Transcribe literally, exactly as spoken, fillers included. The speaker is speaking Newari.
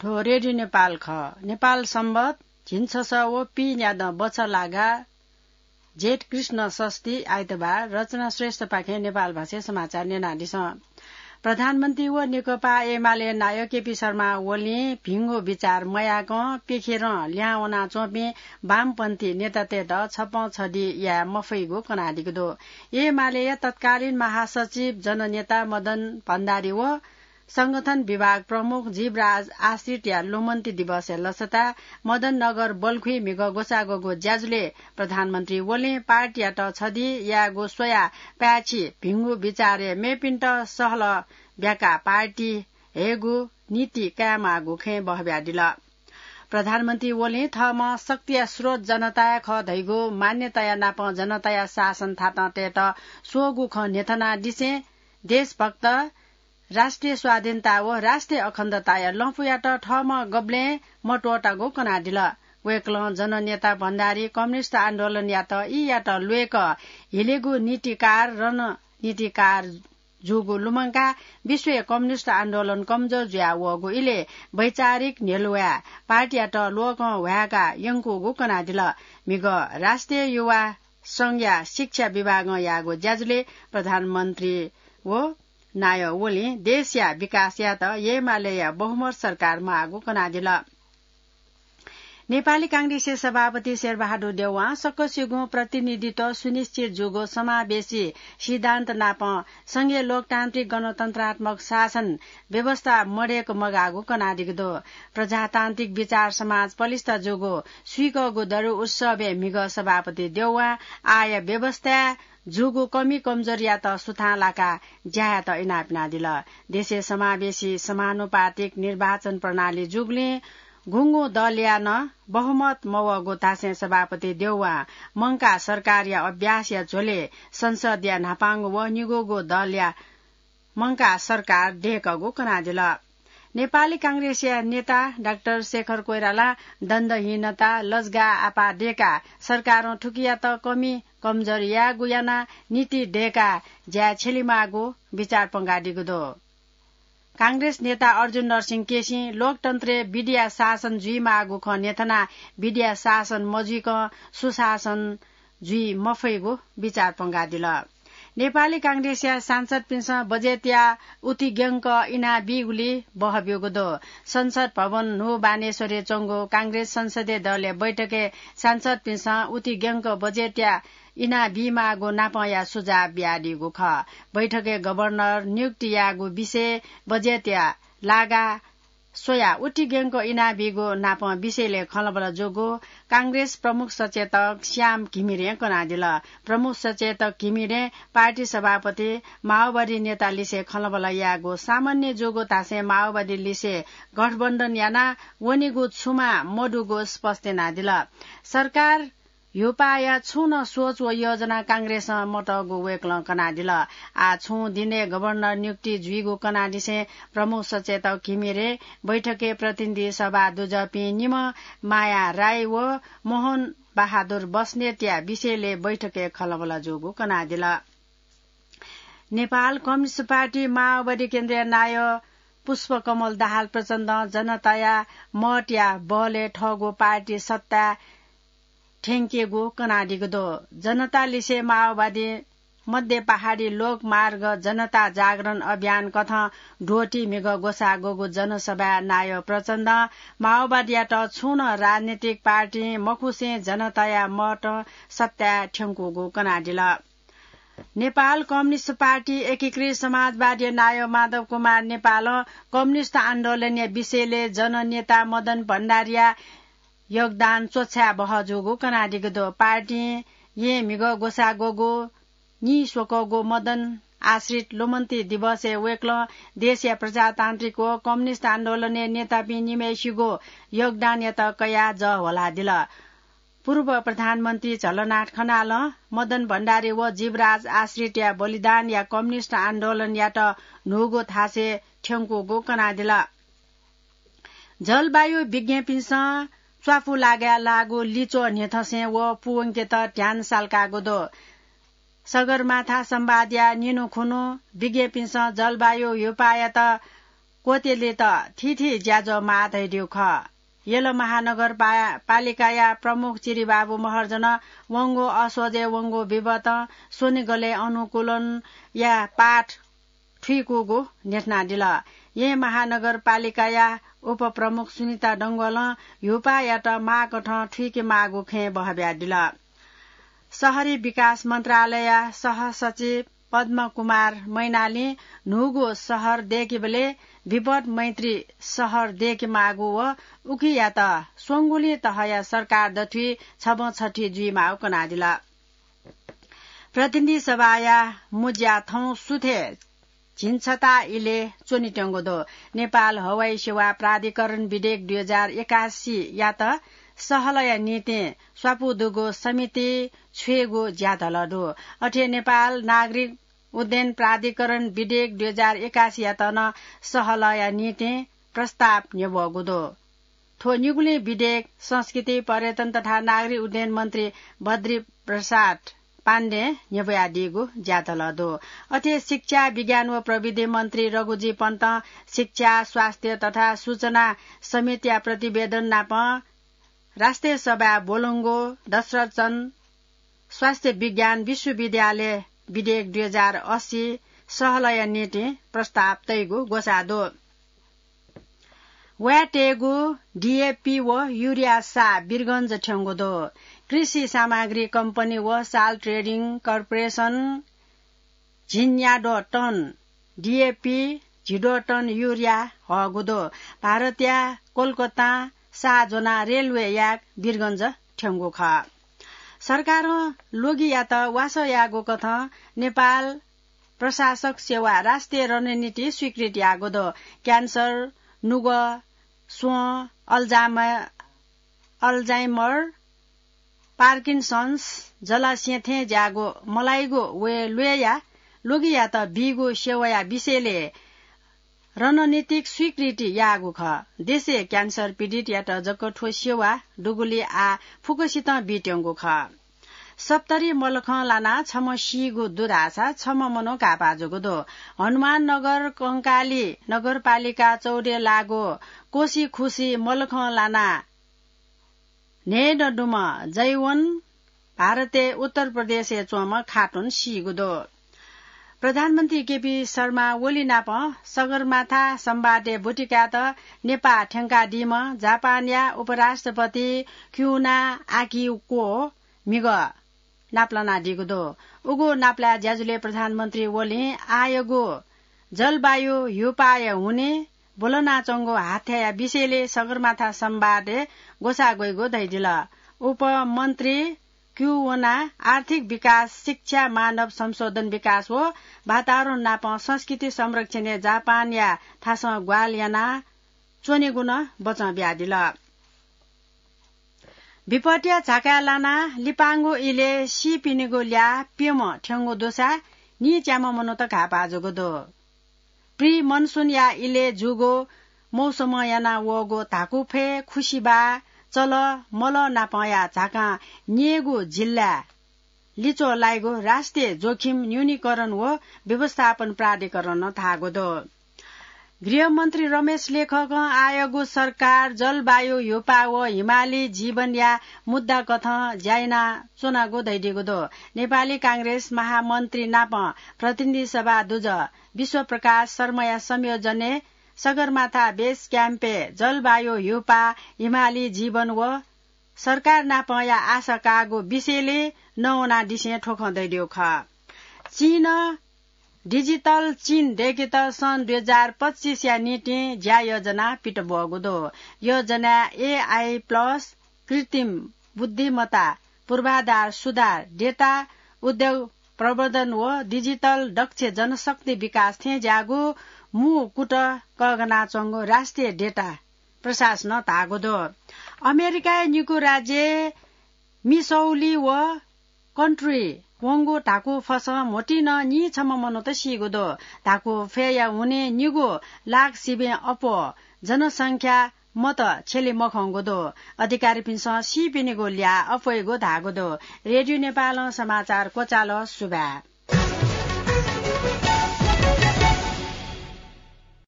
थ्व रेडियो नेपाल खः। नेपाल संवत झिंछसः व पीन्यादँ बछलागा जेठ कृष्ण षष्ठी आइतबार। रचना श्रेष्ठपाखें नेपाल भाषाय् समाचार न्यनादिसँ। प्रधानमन्त्री व नेकपा एमाले नायः केपी शर्मा ओलीं भिंगु बिचार मयाकं पिखेरं ल्याहां वनाच्वंपिं वामपन्थी नेतातय्त छप्पँ छधि याये मफइगु कनादीगु दु। एमालेया तत्कालीन महासचिव जननेता मदन भण्डारी व संगठन विभाग प्रमुख जीवराज आश्रितया लुमन्ती दिवसया लसताय् मदन नगर बल्खुइ म्हिगः ग्वसाः ग्वःगु ज्याझ्वलय् प्रधानमन्त्री ओलीं पार्टीयात छधि यायेगु स्वयाः पाय्छि भिंगु बिचारय् मेपिन्त सहलह ब्याकाः पार्टी हयेगु नीति कायेमाःगु खँय् बहब्यादिल। प्रधानमन्त्री ओलीं थःम्हं शक्तिया स्रोत जनताया खः धइगु मान्यताया नापं जनताया शासन थातं तयेत स्वःगु खँ न्ह्यथनादिसें देशभक्त, राष्ट्रिय स्वाधीनता व राष्ट्रिय अखण्डताया लँपुयात थःम्हं गबलें मत्वःतागु कनादिल। वय्कलं जननेता भण्डारी कम्युनिस्ट आन्दोलनयात ई यात ल्वय्क हिलेगु नीतिकार रणनीतिकार जूगु लुमंकाः विश्वय् कम्युनिस्ट आन्दोलन कमजोर जुया वःगु इलय् वैचारिक न्ह्यलुवाय् पार्टीयात ल्वःकं ह्वाय्का यंकूगु कनादिल। म्हिगः राष्ट्रिय युवा संघया शिक्षा विभागं याःगु ज्याझ्वलय् प्रधानमन्त्री व नायः ओलीं देशया विकास यायेत एमालेया बहुमत सरकार माःगु कनादिल। नेपाली कांग्रेसया सभापति शेरबहादुर देउवां सकसिगुं प्रतिनिधित्व सुनिश्चित जूगु समावेशी सिद्धान्त नापं संघीय लोकतान्त्रिक गणतन्त्रात्मक शासन व्यवस्था मदय्क मगाःगु कनादीगु दु। प्रजातान्त्रिक विचार समाज पलिस्था जूगु स्वीकःगु दरु उत्सवय् म्हिगः सभापति देउवां आःया व्यवस्थाय् जूगु कमी कमजोरीयात सुथां लाकाः ज्या यायेत इनाप यानादिल। देशय् समावेशी समानुपातिक निर्वाचन प्रणाली जूगुलिं गुंगू दलया नं बहुमत मवःगु धासें सभापति देउवां मंकाः सरकारया अभ्यासया झ्वलय् संसदया न्हापांगु व निगूगु दलया मंकाः सरकार दय्कःगु कनादिल। नेपाली कांग्रेसया नेता डाक्टर शेखर कोइरालां दण्डहीनता, लजगाः आपाः दय्काः सरकारं थुकियात कमी कमजोर यायेगु यानाः नीति दय्काः ज्याय् छ्यलेमाःगु बिचाः पंकादीगु दु। कांग्रेस नेता अर्जुन नरसिंह केसीं लोकतन्त्रय् विधिया शासन जुइमाःगु खँ न्ह्यथनाः विधिया शासन मजुइकं सुशासन जुइ मफइगु बिचाः पंकादिल। नेपाली कांग्रेसया सांसदपिन्सं बजेटया उतिग्यंक इनाबीगुली बहब्यूगु दु। संसद भवन न्हू बानेश्वरय् च्वंगु कांग्रेस संसदीय दलया बैठकय् सांसदपिन्सं उतिग्यंक बजेटया इनाबीमाःगु नापंया सुझाव बियादीगु खः। बैठकय् गभर्नर नियुक्ति याःगु विषय, बजेटया लागा स्वयाः उतिग्यंक इनाबीगु नापं विषयलय् खँल्हाबल्हा जूगु कांग्रेस प्रमुख सचेतक श्याम घिमिरें कनादिल। प्रमुख सचेतक घिमिरें पार्टी सभापति माओवादी नेता लिसे खँल्हाबल्हा यायेगु सामान्य जूगु धासें माओवादी लिसे गठबन्धन याना वनीगु छुमा मदुगु स्पष्ट यानादिल। सरकार ह्युपाःया छुं नं सोच व योजना कांग्रेसं मतःगु वय्कलं कनादिल। आः छुं दिनय् गभर्नर नियुक्ति जुइगु कनादिसें प्रमुख सचेतक घिमिरे बैठकय् प्रतिनिधि सभा दुजःपिं निम्ह माया राई व मोहन बहादुर बस्नेतया विषयलय् बैठकय् खँल्हाबल्हा जूगु कनादिल। नेपाल कम्युनिस्ट पार्टी माओवादी केन्द्रीय नायः पुष्पकमल दाहाल प्रचण्डं जनताया मतया बलय् थःगु पार्टी सत्ताय् थ्यंकेगु कनादीगु दु। जनता लिसे माओवादी मध्य पहाडी लोकमार्ग जनता जागरण अभियान कथं द्वःति म्हिगः ग्वसाः ग्वःगु जनसभाय् नायः प्रचण्डं माओवादीयात छुं नं राजनीतिक पार्टीं मखुसें जनताया मतं सत्ताय् थ्यंकूगु कनादिल। नेपाल कम्युनिस्ट पार्टी एकीकृत समाजवादी नायः माधव कुमार नेपालं कम्युनिस्ट आन्दोलनया विषयलय् जननेता मदन भण्डारीया योगदान च्वछाये बहः जूगु कनादीगु दु। पार्टीं येँ म्हिगः ग्वसाः ग्वःगु नीस्वकःगु मदन आश्रित लुमन्ती दिवसय् वय्कलं देशया प्रजातान्त्रिक व कम्युनिस्ट आन्दोलनय् नेतापिं निम्हय्सिगु योगदानयात कयाः जः ह्वलादिल। पूर्व प्रधानमन्त्री झलनाथ खनालं मदन भण्डारी व जीवराज आश्रितया बलिदानया कम्युनिस्ट आन्दोलनयात न्हूगु थासय् थ्यंकूगु कनादिल। जलवायु विज्ञपिन्सं च्वापु लागाय् लाःगु लिच्वः न्ह्यथंसें व पूवंकेत ध्यान साल्काःगु दु। सगरमाथा संवादया निन्हु खुन्हु विज्ञपिन्सं जलवायु ह्युपाःयात क्वत्यलेत थीथी ज्याझ्वः माः धइदिउ खः। यल महानगरपा-, पालिकाया प्रमुख चिरिबाबु महर्जनं वंगु असोजय् वंगु बिपतं स्वनिगलय् अनुकूलनया पाठ थुइकूगु न्ह्यथनादिल। येँ महानगरपालिकाया उपप्रमुख सुनिता डंगोलं ह्युपायात माःकथं थुइके माःगु खँय् बहब्यादिल। शहरी विकास मन्त्रालयया सहसचिव पद्म कुमार मैनालीं न्हूगु शहर दय्केबलय् विपद मैत्री शहर दय्के माःगु व उकियात स्वंगुलिं तहया सरकार दथुइ छबं छथुइ जुइमाःगु कनादिल। प्रतिनिधि सभाया मुज्या थौं सुथय् झिंछता इलय् च्वनेत्यंगु दु। नेपाल हवाई सेवा प्राधिकरण विधेयक दुई हजार एकासीयात सहलया निंतिं स्वापू दुगु समिति छ्वयेगु ज्याधलः दु। अथे नेपाल नागरिक उड्डयन प्राधिकरण विधेयक दुई हजार एकासीयात नं सहलया निंतिं प्रस्ताव न्ह्यब्वःगु दु। थ्व निगुलिं विधेयक संस्कृति, पर्यटन तथा नागरिक उड्डयन मन्त्री बद्री प्रसाद पाण्डें न्ह्यब्वयादीगु ज्याधलः दु। अथे शिक्षा, विज्ञान व प्रविधि मन्त्री रघुजी पन्तं शिक्षा, स्वास्थ्य तथा सूचना समितिया प्रतिवेदन नाप राष्ट्रिय सभाय् ब्वलंगु दशरथचन्द स्वास्थ्य विज्ञान विश्वविद्यालय विधेयक दुई हजार अस्सी सहलया निंतिं प्रस्ताव तइगु ग्वसाः दु। वाय् तयेगु डिएपी व युरिया साः वीरगंज थ्यंगु दु। कृषि सामग्री कम्पनी व साल ट्रेडिङ कर्पोरेसन झिंन्याद्वः टन डिएपी, झिद्वः टन युरिया हःगु दु। भारतया कोलकातां साः ज्वनाः रेलवे याय्क वीरगंज थ्यंगु खः। सरकारं ल्वगियात वासः यायेगु कथं नेपाल प्रशासक सेवा राष्ट्रिय रणनीति स्वीकृत याःगु दु। क्यान्सर, नुगः, स्वँ, अल्जाम-, अल्जाइमर, पार्किन्सन्स, जलास्यँ थें ज्याःगु मलाइगु व ल्वय्या ल्वगियात बीगु सेवाया विषयलय् रणनीतिक स्वीकृति याःगु खः। देशय् क्यान्सर पीडितयात जक थ्व सेवा दुगुलिं आः फुक्कसितं बीत्यंगु खः। सप्तरी मलखं लानाः छम्ह सीगु दु धाःसा छम्ह मनू घाःपाः जूगु दु। हनुमान नगर कंकाली नगरपालिका चौधय् लाःगु कोसीखुसी मलखं लानाः न्हय्दँ दुम्ह जैवन भारतय् उत्तर प्रदेशय् च्वंम्ह खातुन सीगु दु। प्रधानमन्त्री केपी शर्मा ओली नाप सगरमाथा संवादय् ब्वति कायेत नेपाः थ्यंकादीम्ह जापानया उपराष्ट्रपति क्युना आकिको म्हिगः नापलानादीगु दु। उगु नापलाये ज्याझ्वलय् प्रधानमन्त्री ओलीं आःयागु जलवायु ह्युपाःया हुनिं ब्वलनाच्वंगु हाथ्याया विषयलय् सगरमाथा संवादय् ग्वसाः ग्वइगु धयादिल। उपमन्त्री क्युओना आर्थिक विकास, शिक्षा, मानव संशोधन विकास व वातावरण नाप संस्कृति संरक्षणय् जापानया थासं ग्वाहालि याना च्वनेगु नं बचं बियादिल। विपत्तिया झाकाय् लानाः लिपांगु इलय् सीपिनिगु ल्याः प्यम्ह थ्यंगु दुसा नीच्याम्ह मनूत घाःपाः जूगु दु। प्रि मनसुनया इलय् जूगु मौसमं याना वःगु धाकुफय्, खुसिबाः, चलः, मलः नापंया झाकां न्यय्गू जिल्लाय् लिच्वः लाइगु राष्ट्रिय जोखिम न्यूनीकरण व व्यवस्थापन प्राधिकरणं धाःगु दु। गृहमन्त्री रमेश लेखकं आःयागु सरकार जलवायु ह्युपाः व हिमाली जीवनया मुद्दा कथं ज्या यानाच्वनागु धयादीगु दु। नेपाली कांग्रेस महामन्त्री नाप प्रतिनिधि सभा दुजः विश्वप्रकाश शर्माया संयोजनय् सगरमाथा बेस क्याम्पय् जलवायु ह्युपाः, हिमाली जीवन व सरकार नापंया आशा काःगु विषयलय् नवानादिसें थ्व खँ धयादीगु खः। चीनं डिजिटल चीन दय्केत सन् दुई हजार पच्चिसया निंतिं ज्या योजना पित ब्वःगु दु। योजनाय् एआई प्लस, कृत्रिम बुद्धिमत्ता, पूर्वाधार सुधार, डेटा उद्योग प्रवर्धन व डिजिटल दक्ष जनशक्ति विकास थें ज्याःगु मू कुतः कःघानाच्वंगु राष्ट्रिय डेटा प्रशासनं धाःगु दु। अमेरिकाया निकू राज्य मिसौली व कन्ट्री वंगु धाकू फसं म्होतिं नं नीछम्ह मनूत सीगु दु। धाकू फय्या हुनिं निगू लाख सिबें अप्वः जनसंख्या मत छ्यले मखंगु दु। अधिकारीपिन्सं सीपिनिगु ल्याः अप्वइगु धाःगु दु। रेडियो नेपालं समाचार क्वचाल। सुभाय्।